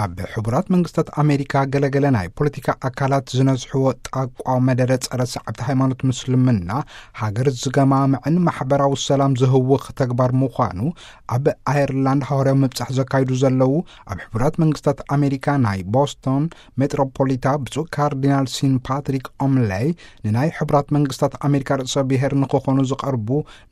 ኣብ ሕቡራት መንግስታት ኣሜሪካ ገለገለ ናይ ፖለቲካ ኣካላት ዝነዝሕዎ ጣቋ መደረ ጸረ ሰዓብቲ ሃይማኖት ምስልምና፣ ሃገር ዝገማምዕን ማሕበራዊ ሰላም ዝህውኽ ተግባር ምዃኑ፣ ኣብ ኣየርላንድ ሃዋርያዊ ምብጻሕ ዘካይዱ ዘለዉ ኣብ ሕቡራት መንግስታት ኣሜሪካ ናይ ቦስቶን ሜትሮፖሊታ ብፁዕ ካርዲናል ሲን ፓትሪክ ኦምለይ፣ ንናይ ሕቡራት መንግስታት ኣሜሪካ ርእሰ ብሔር ንክኾኑ ዝቐርቡ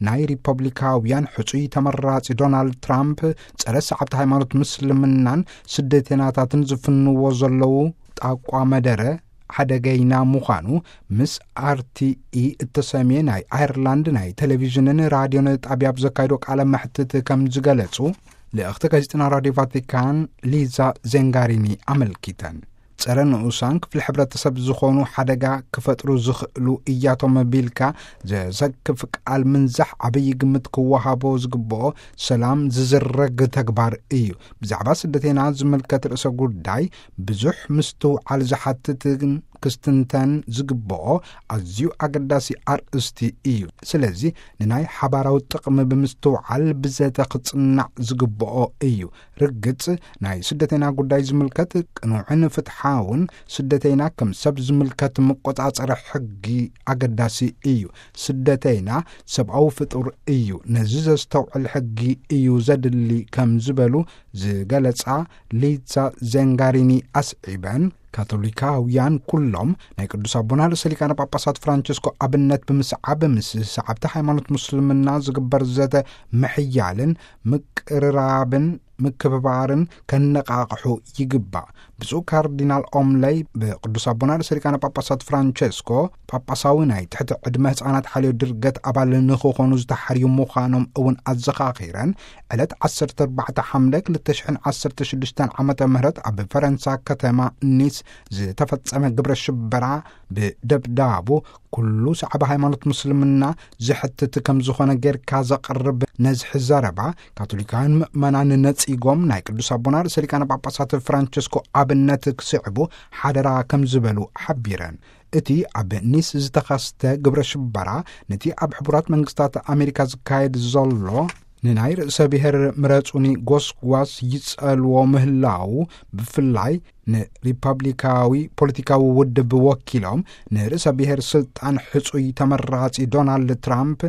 ናይ ሪፐብሊካውያን ሕጹይ ተመራጺ ዶናልድ ትራምፕ፣ ጸረ ሰዓብቲ ሃይማኖት ምስልምናን ስደተናታትን ዝፍንዎ ዘለዉ ጣቋ መደረ ሓደገይና ምዃኑ፣ ምስ ኣር ቲ ኢ እተሰምየ ናይ ኣየርላንድ ናይ ቴሌቪዥንን ራድዮን ጣብያ ኣብ ዘካይዶ ቃለ መሕትት ከም ዝገለጹ፣ ልእኽቲ ጋዜጠና ራድዮ ቫቲካን ሊዛ ዜንጋሪኒ ኣመልኪተን። ጸረ ንኡሳን ክፍሊ ሕብረተሰብ ዝኾኑ ሓደጋ ክፈጥሩ ዝኽእሉ እያቶም ቢልካ ዘዘክፍ ቃል ምንዛሕ ዓብዪ ግምት ክወሃቦ ዝግብኦ ሰላም ዝዝረግ ተግባር እዩ። ብዛዕባ ስደተና ዝምልከት ርእሰ ጉዳይ ብዙሕ ምስትውዓል ዝሓትትን ክስትንተን ዝግብኦ ኣዝዩ ኣገዳሲ ኣርእስቲ እዩ። ስለዚ ንናይ ሓባራዊ ጥቕሚ ብምስትውዓል ብዘተ ክጽናዕ ዝግብኦ እዩ። ርግጽ፣ ናይ ስደተና ጉዳይ ዝምልከት ቅኑዕን ፍትሓውን ስደተና ከም ሰብ ዝምልከት መቆጻጸሪ ሕጊ ኣገዳሲ እዩ። ስደተና ሰብኣዊ ፍጡር እዩ። ነዚ ዘስተውዕል ሕጊ እዩ ዘድሊ ከም ዝበሉ ዝገለጻ ሊዛ ዜንጋሪኒ ኣስዒበን፣ ካቶሊካውያን ኩሎም ናይ ቅዱስ ኣቦና ርእሰ ሊቃነ ጳጳሳት ፍራንቸስኮ ኣብነት ብምስዓብ፣ ምስ ሰዓብቲ ሃይማኖት ሙስልምና ዝግበር ዘተ ምሕያልን ምቅርራብን ምክብባርን ከነቃቕሑ ይግባእ። ብፁዕ ካርዲናል ኦምለይ ብቅዱስ ኣቦና ርእሰ ሊቃነ ጳጳሳት ፍራንቸስኮ ጳጳሳዊ ናይ ትሕቲ ዕድመ ህፃናት ሓልዮ ድርገት ኣባል ንክኾኑ ዝተሓርዩ ምዃኖም እውን ኣዘኻኺረን፣ ዕለት ዓሰርተ ኣርባዕተ ሓምለ ክልተ ሽሕን ዓሰርተ ሽዱሽተን ዓመተ ምህረት ኣብ ፈረንሳ ከተማ ኒስ ዝተፈጸመ ግብረ ሽበራ ብደብዳቡ ኩሉ ሰዓቢ ሃይማኖት ሙስልምና ዝሕትት ከም ዝኾነ ጌርካ ዘቕርብ ነዝሒ ዘረባ፣ ካቶሊካውያን ምእመናን ነጺጎም ናይ ቅዱስ ኣቦና ርእሰ ሊቃነ ጳጳሳት ፍራንቸስኮ ኣብነት ክስዕቡ ሓደራ ከም ዝበሉ ሓቢረን። እቲ ኣብ ኒስ ዝተኸስተ ግብረ ሽበራ፣ ነቲ ኣብ ሕቡራት መንግስታት ኣሜሪካ ዝካየድ ዘሎ ንናይ ርእሰ ብሔር ምረጹኒ ጎስጓስ ይጸልዎ ምህላዉ፣ ብፍላይ ንሪፐብሊካዊ ፖለቲካዊ ውድብ ወኪሎም ንርእሰ ብሔር ስልጣን ሕጹይ ተመራጺ ዶናልድ ትራምፕ፣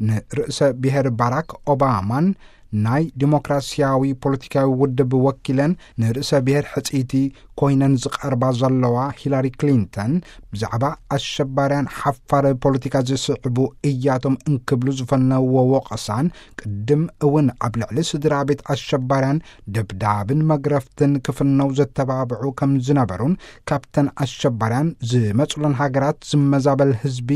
ንርእሰ ብሔር ባራክ ኦባማን፣ ናይ ዲሞክራሲያዊ ፖለቲካዊ ውድብ ወኪለን ንርእሰ ብሔር ሕጽይቲ ኮይነን ዝቐርባ ዘለዋ ሂላሪ ክሊንተን፣ ብዛዕባ ኣሸባርያን ሓፋር ፖለቲካ ዝስዕቡ እያቶም እንክብሉ ዝፈነዎ ወቐሳን፣ ቅድም እውን ኣብ ልዕሊ ስድራ ቤት ኣሸባርያን ደብዳብን መግረፍትን ክፍነው ዘተባብዑ ከም ዝነበሩን፣ ካብተን ኣሸባርያን ዝመጹለን ሃገራት ዝመዛበል ህዝቢ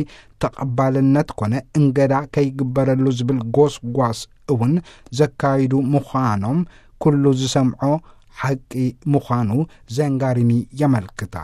ተቐባልነት ኮነ እንገዳ ከይግበረሉ ዝብል ጎስጓስ እውን ዘካይዱ ምዃኖም ኩሉ ዝሰምዖ ሓቂ ምዃኑ ዘንጋሪኒ የመልክታ።